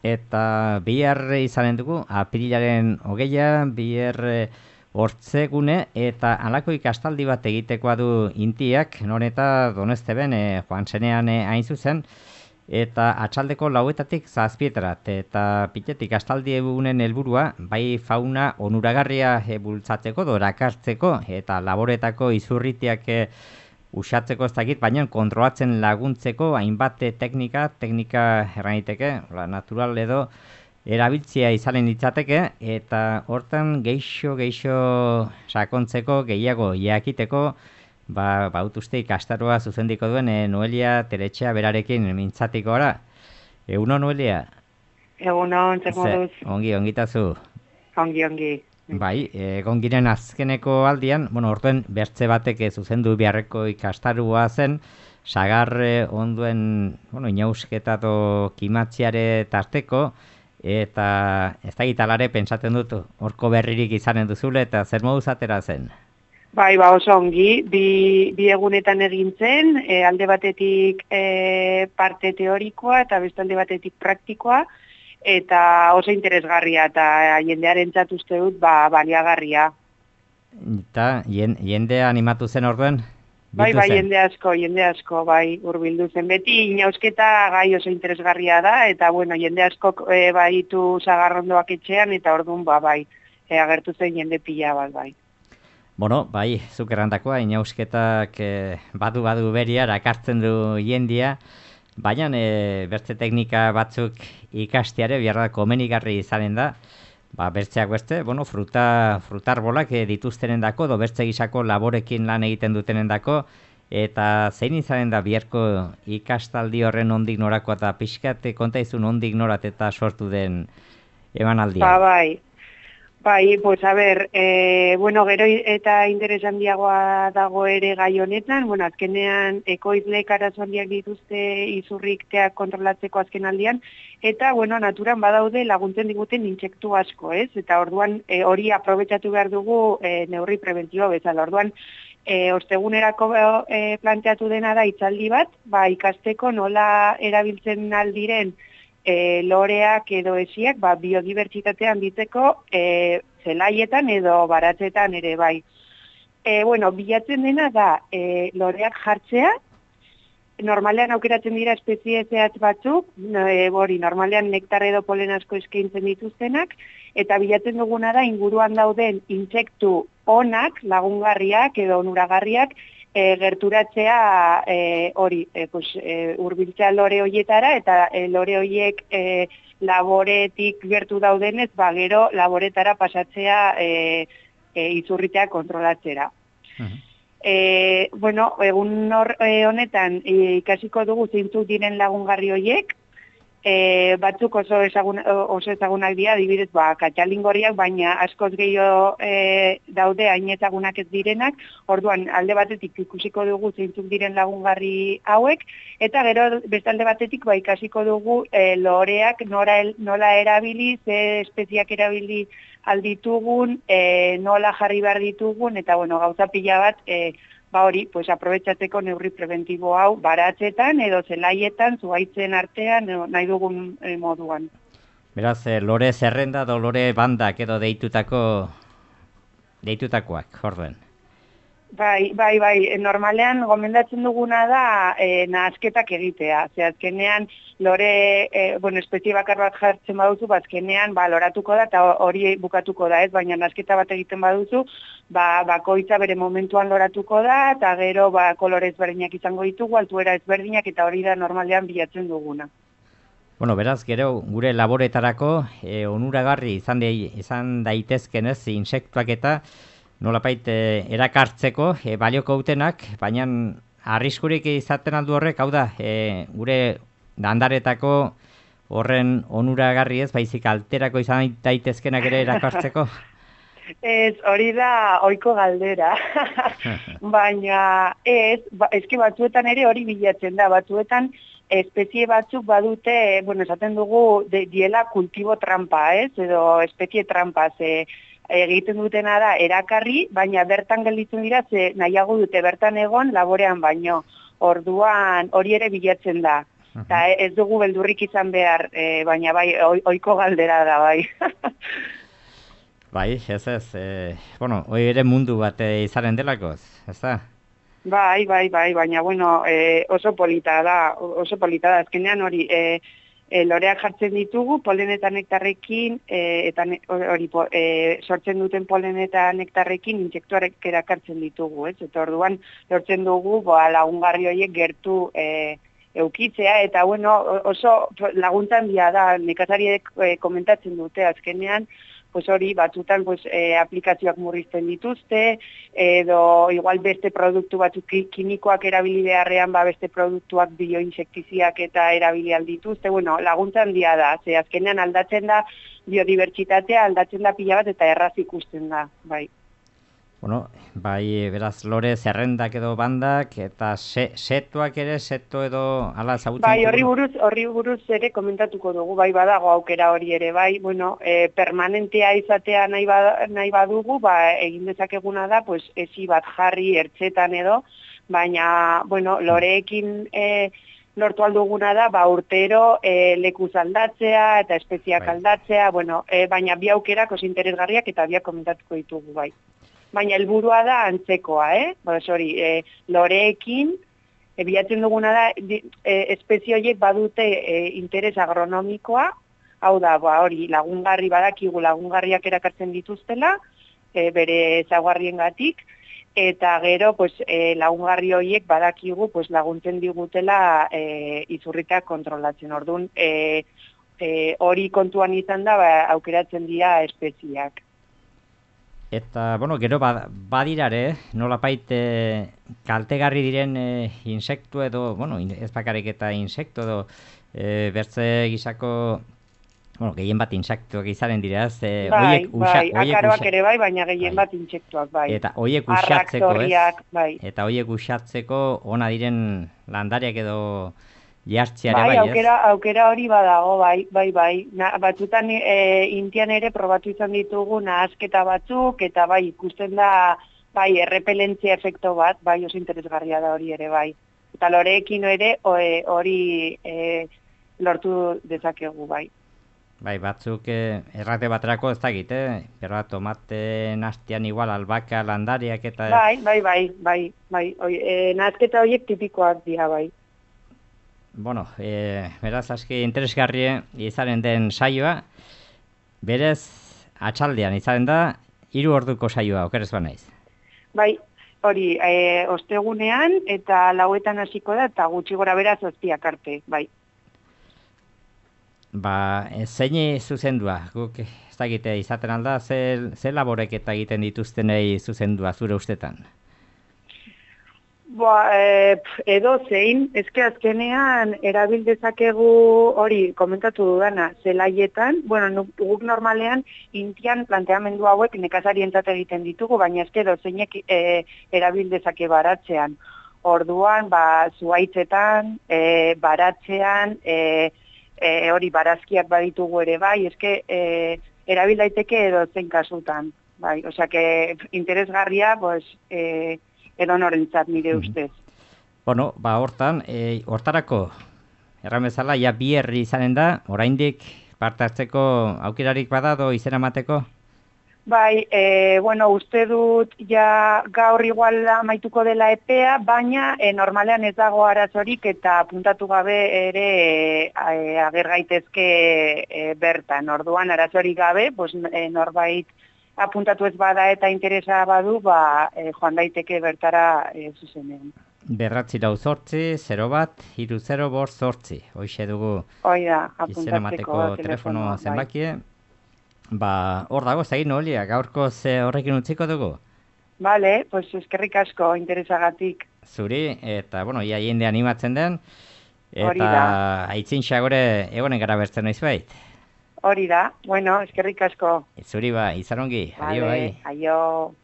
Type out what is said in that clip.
eta bihar izanen dugu, apirilaren 20, bihar hortzegune, eta halako ikastaldi bat egitekoa du Intiak, non eta Donezteben joan zenean hain zuzen, eta atxaldeko 4:00 7:00, eta pitetik ikastaldi egunen helburua, bai fauna onuragarria bultzatzeko, erakartzeko, eta laboretako izurritiak usatzeko ez dakit, baina kontrolatzen laguntzeko hainbat teknika erraniteke, natural edo erabiltzea izanen ditzateke, eta hortan geixo sakontzeko, gehiago jakiteko, bautuzte ikastaroa zuzendiko duen Noelia Teretxea berarekin mintzatiko gara. Egunon, Noelia? Egunon, zer moduz? Ongitazu. Ongi. Bai, egon giren azkeneko aldian, orduen bertze batek zuzendu beharreko ikastarua zen, sagar onduen, inausketa kimatziare tarteko, eta ez da gitalare pentsatzen dut horko berririk izanen duzule, eta zer moduz atera zen? Bai, oso ongi, bi egunetan egin zen, alde batetik parte teorikoa eta beste alde batetik praktikoa, eta oso interesgarria eta jendearen uste dut baliagarria. Eta jende animatu zen orduen? Bai, jende asko, bai, hurbildu zen. Beti inausketa gai oso interesgarria da, eta jende askok baditu sagarrondoak etxean, eta orduan bai, agertu zen jende pila bat, bai. Bai, zuk errandakoa, inausketak badu beria, erakartzen du jendia, baina bertze teknika batzuk ikasteare biharra komenigarri izanen da, bertzeak beste, frutarbolak dituztenen dako, bertze gisako laborekin lan egiten dutenen dako, eta zein izanen da biharko ikastaldi horren ondik norakoa eta pixkat kontaizun ondik norat eta sortu den emanaldia. Bai, pues a ber, gero eta interes handiagoa dago ere gai honetan, azkenean ekoizleek arazo handiak dituzte izurrikteak kontrolatzeko azken aldian, eta, naturan badaude laguntzen diguten intsektu asko, ez? Eta orduan hori aprobetxatu behar dugu neurri prebentzioa bezala. Orduan, ostegunerako planteatu dena da hitzaldi bat, ikasteko nola erabiltzen aldiren loreak edo esiak biodibertsitatea handitzeko zelaietan edo baratzetan ere bai. Bilatzen dena da loreak jartzea, normalean aukeratzen dira espezie zehatz batzuk, normalean nektar edo polen asko eskaintzen dituztenak, eta bilatzen duguna da inguruan dauden intsektu onak, lagungarriak edo onuragarriak, gerturatzea hurbiltzea lore hoietara, eta lore hoiek laboretik gertu daudenez, gero laboretara pasatzea izurritea kontrolatzera. Egun honetan ikasiko dugu zeintzuk diren lagungarri hoiek, batzuk oso ezagunak dira, adibidez, katxalingorriak, baina askoz gehiago daude hain ezagunak ez direnak, orduan alde batetik ikusiko dugu zeintzuk diren lagungarri hauek, eta gero beste alde batetik ikasiko dugu loreak nola erabili, ze espeziak erabili alditugun, nola jarri behar ditugun, eta gauza pila bat, aprobetxatzeko neurri preventibo hau baratzetan edo zelaietan, zuhaitzen artean, nahi dugun moduan. Beraz, lore zerrenda edo lore bandak edo deitutakoak, orduen. Bai, normalean gomendatzen duguna da nahasketak egitea. Azkenean lore, espezie bakar bat jartzen baduzu, azkenean loratuko da eta hori bukatuko da, ez? Baina nahasketa bat egiten baduzu, bakoitza bere momentuan loratuko da, eta gero kolore ezberdinak izango ditugu, altuera ezberdinak, eta hori da normalean bilatzen duguna. Beraz, gero, gure laboretarako onuragarri izan daitezken ez, insektuak eta nolapait erakartzeko balioko utenak, baina arriskurik izaten aldu horrek, hau da, gure dandaretako horren onuragarri ez, baizik alterako izan daitezkenak ere erakartzeko? Ez, hori da ohiko galdera, baina eski batzuetan ere hori bilatzen da, batzuetan espezie batzuk badute, esaten dugu, diela kultibo trampa, ez, edo espezie trampa, egiten dutena da erakarri, baina bertan gelditzen dira, nahiago dute bertan egon laborean baino. Orduan hori ere bilatzen da. Eta ez dugu beldurrik izan behar, baina bai, ohiko galdera da, bai. Bai, ez, bueno, hoi ere mundu bat izaren delakoz, ez da? Bai, baina, bueno, oso polita da, azkenean hori, loreak jartzen ditugu, polen eta nektarrekin, eta hori, sortzen duten polen eta nektarrekin intsektuarek erakartzen ditugu, ez? Eta orduan, lortzen dugu, lagungarri horiek gertu eukitzea, eta bueno, oso laguntza handia da, nekazariek komentatzen dute, azkenean, pues hori, batzutan aplikazioak murrizten dituzte, edo igual beste produktu batzuk kimikoak erabili beharrean, beste produktuak bioinsektiziak eta erabili aldituzte, bueno, laguntza handia da, ze azkenean aldatzen da biodibertsitatea, aldatzen da pila bat eta erraz ikusten da, bai. Bueno, bai, beraz, lore zerrendak edo bandak, eta setuak ere, seto edo ala zagutzen? Bai, horri buruz ere komentatuko dugu, bai badago aukera hori ere, bai, bueno, permanentea izatea nahi badugu, egin dezakeguna da, pues, ezi bat jarri ertzetan edo, baina, bueno, loreekin lortu alduguna da, urtero lekuz aldatzea eta espeziak aldatzea, bueno, baina bi aukerak oso interesgarriak eta biak komentatuko ditugu, bai. Baina helburua da antzekoa, loreekin, bilatzen duguna da, espezie horiek badute interes agronomikoa, hau da, hori, lagungarri badakigu lagungarriak erakartzen dituztela, bere ezaugarriengatik, eta gero, lagungarri horiek badakigu laguntzen digutela izurritak kontrolatzen. Orduan, hori kontuan izan da, aukeratzen dira espeziak. Eta, bueno, gero badirare, nolapait kaltegarri diren insektu edo, bueno, ez bakarrik eta insektu edo, bertze gisako, bueno, gehien bat insektuak izaren dira, bai, akaroak ere bai, baina gehien bat insektuak, bai. Eta hoiek uxatzeko, eta hoiek uxatzeko ona diren landariak edo jartziare bai, ez? Bai, aukera hori badago, bai. Batzutan Indian ere probatu izan ditugu nahasketa batzuk, eta bai, ikusten da, bai, errepelentzia efekto bat, bai, oso interesgarria da hori ere, bai. Eta loreekin ere hori lortu dezakegu, bai. Bai, batzuk errate baterako ez dakit, Pero tomate nastian igual albaka landariak eta... Bai. Nahasketa horiek tipikoak dira, bai. Bueno, beraz, aski interesgarri izaren den saioa, berez, atxaldean izaren da, 3 orduko saioa, okerez banaiz. Bai, hori, ostegunean eta 4etan hasiko da, eta gutxi gora beraz 7 arte, bai. Zeini zuzendua, guk ez dakite izaten alda, ze laborek eta egiten dituztenei zuzendua zure ustetan? Edo zein, ezke azkenean erabil dezakegu hori komentatu dudana, zelaietan, guk normalean Indian planteamendu hauek nekazarientzat egiten ditugu, baina ezke edo zeinek erabil dezake baratzean. Orduan, zuhaitzetan, baratzean, hori barazkiak baditugu ere bai, ezke erabil daiteke edo zein kasutan. Bai, osea que interesgarria, edo norentzat nire ustez. Bueno, hortarako, erramezala, ja 2 herri izanen da, oraindik parte hartzeko aukerarik badado izena mateko? Bai, uste dut ja gaur igual amaituko dela epea, baina normalean ez dago arazorik eta puntatu gabe ere ager gaitezke bertan. Orduan arazorik gabe, norbait apuntatu ez bada eta interesa badu, joan daiteke bertara zuzenean. 908 01 30 508. Hoxe dugu izena mateko telefono zenbakie. Hor dago, zagin Olia, gaurko horrekin utziko dugu? Bale, eskerrik asko interesagatik. Zuri, eta, ia jende animatzen den, eta aitzin xagore egonen gara bertzen noiz bait. Hori da, eskerrik asko. Zuri izan ongi, adio bai. Aio.